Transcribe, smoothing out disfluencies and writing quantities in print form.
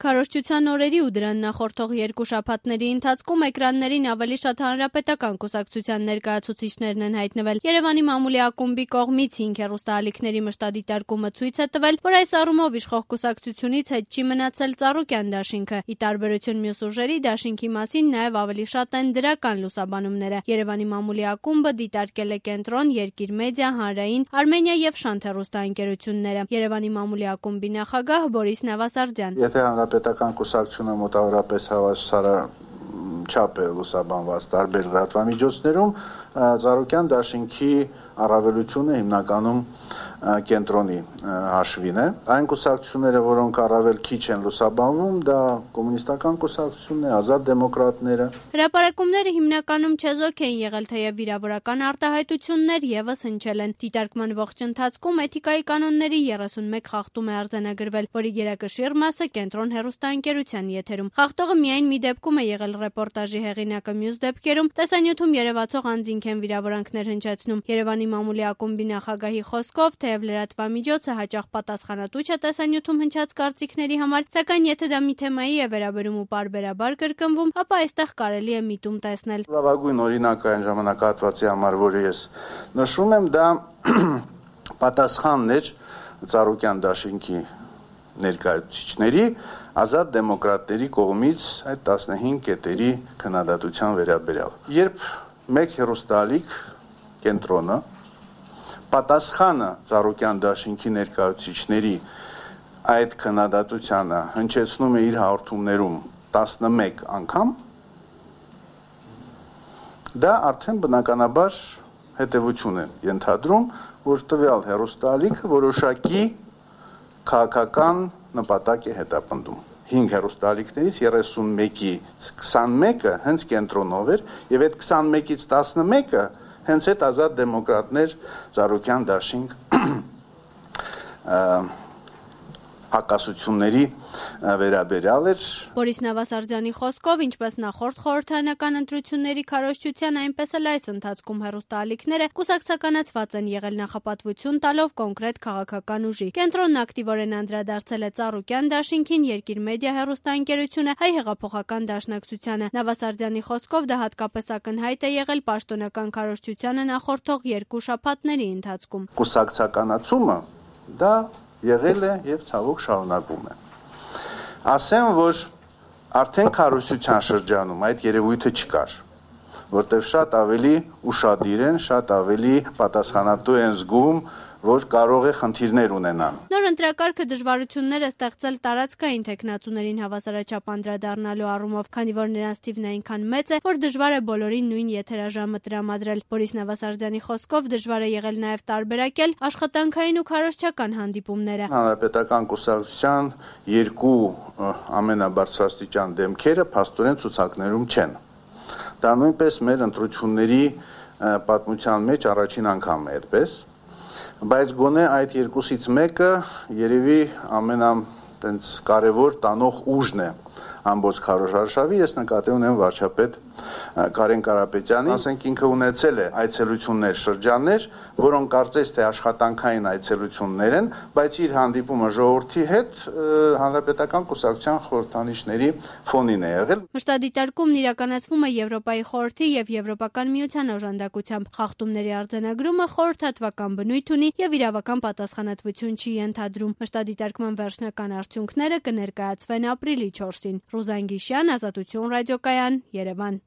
Քարոզչության օրերի ու դրան նախորդող 2 շաբաթների ընթացքում էկրաններին ավելի շատ հանրապետական կուսակցության ներկայացուցիչներն են հայտնվել։ Երևանի մամուլի ակումբի կողմից 5 հեռուստաալիքների մշտադիտարկումը ցույց է տվել, որ այս առումով իշխող կուսակցությունից հետ չի մնացել Ծառուկյան դաշինքը։ Ի տարբերություն մյուս ուժերի, դաշինքի մասին նաև ավելի շատ են դրական լուսաբանումները։ Երևանի մամուլի ակումբը դիտարկել է Կենտրոն, Երկիր մեդիա, Հանրային, Արմենիա եւ Շանթ հեռուստաընկերությունները։ Երևանի մամուլի ակումբի նախագահ Բորիս Նավասարդյան. Պետական կուսակցությունը մոտավորապես հավասարաչափ է լուսաբանված տարբեր լրատվամիջոցներում, Ծառուկյան դաշինքի առավելությունը հիմնականում Կենտրոնի հաշվին է։ Այն կուսակցությունները, որոնք առավել քիչ են լուսաբանվում, դա կոմունիստական կուսակցությունն է, ազատ դեմոկրատները։ Հրապարակումները հիմնականում չեզոք են եղել, թեև վիրավորական արտահայտություններ եւս հնչել են։ Դիտարկման ողջ ընթացքում էթիկայի կանոնների 31 խախտում է արձանագրվել, որի գերակշիռ մասը Կենտրոն հեռուստաընկերության եթերում։ Խախտողը միայն մի դեպքում է եղել ռեպորտաժի հեղինակը, մյուս դեպքերում տեսանյութում երևացող անձինք են վիրավորանքներ հնչեցնում։ Երևանի մամուլի ակումբի նախագահի խոսքով, թեև լրատվամիջոցը հաճախ պատասխանատու չէ տեսանյութում հնչած կարծիքների համար, սակայն եթե դա մի թեմայի է վերաբերում ու պարբերաբար կրկնվում, ապա այստեղ կարելի է միտում տեսնել։ Լավագույն օրինակը այն ժամանակահատվածի համար, որը ես նշում եմ, դա պատասխանն էր Ծառուկյան դաշինքի ներկայացուցիչների ազատ դեմոկրատների կողմից այդ 15 կետերի քննադատության վերաբերյալ։ Երբ մեկ հեռուստաալիք Կենտրոնը պատասխանը Ծառուկյան դաշինքի ներկայացուցիչների այդ քննադատությանը հնչեցնում է իր հաղորդումներում 11 անգամ, դա արդեն բնականաբար հետևություն է ենթադրում, որ տվյալ հեռուստաալիքը որոշակի քաղաքական նպատակ է հետապնդում։ 5 հեռուստաալիքներից 31-ի 21-ը հենց Կենտրոնով էր, եւ այդ 21-ից 11-ը հենց այդ ազատ դեմոկրատներ Ծառուկյան դաշինք հակասությունների վերաբերյալ էր։ Բորիս Նավասարդյանի խոսքով, ինչպես նախորդ խորհրդարանական ընտրությունների քարոզչության, այնպես էլ այս ընթացքում հեռուստաալիքները կուսակցականացված են եղել նախապատվություն տալով կոնկրետ քաղաքական ուժի։ Կենտրոնն ակտիվորեն անդրադարձել է Ծառուկյան դաշինքին, Երկիր մեդիա հեռուստաընկերությունը, Հայ հեղափոխական դաշնակցությանը։ Նավասարդյանի խոսքով դա հատկապես ակնհայտ է եղել պաշտոնական քարոզչությանը նախորդող 2 շաբաթների ընթացքում։ Կուսակցականացումը դա եղել է եւ ցավոք շարունակվում է։ Ասեմ, որ արդեն քարոզչության շրջանում այդ երևույթը չկար, որտեղ շատ ավելի ուշադիր են, շատ ավելի պատասխանատու են զգում, որ կարող է խնդիրներ ունենան։ Նոր ընտրակարգը դժվարություններ է ստեղծել տարածքային թեկնածուներին հավասարաչափ անդրադառնալու առումով, քանի որ նրանց թիվն այնքան մեծ է, որ դժվար է բոլորին նույն եթերաժամը տրամադրել։ Բորիս Նավասարդյանի խոսքով դժվար է եղել նաև տարբերակել աշխատանքային ու քարոզչական հանդիպումները։ Հանրապետական կուսակցության 2 ամենաբարձրաստիճան դեմքերը փաստորեն ցուցակներում չեն։ Դա նույնպես մեր ընտրությունների պատմության մեջ առաջին անգամն է այդպես, բայց գոնե այդ 2-ից մեկը երևի կարևոր տանող ուժն է ամբողջ քարոզարշավի, ես նկատի ունեմ վարչապետ Կարեն Կարապետյանի, ասենք ինքը ունեցել է այցելություններ, շրջաններ, որոնք կարծես թե աշխատանքային այցելություններ են, բայց իր հանդիպումը ժողովրդի հետ հանրապետական կուսակցության խորհրդանիշների ֆոնին է եղել։ Մշտադիտարկումն իրականացվում է Եվրոպայի խորհրդի եւ Եվրոպական միության օժանդակությամբ։ Խախտումների արձանագրումը խորհրդատվական բնույթ ունի եւ իրավական պատասխանատվություն չի ենթադրում։ Մշտադիտարկման վերջնական արդյունքները կներկայացվեն ապրիլի 4-ին։ Ռուզան Գիշյան, Ազատություն ռադիոկայան, Երևան։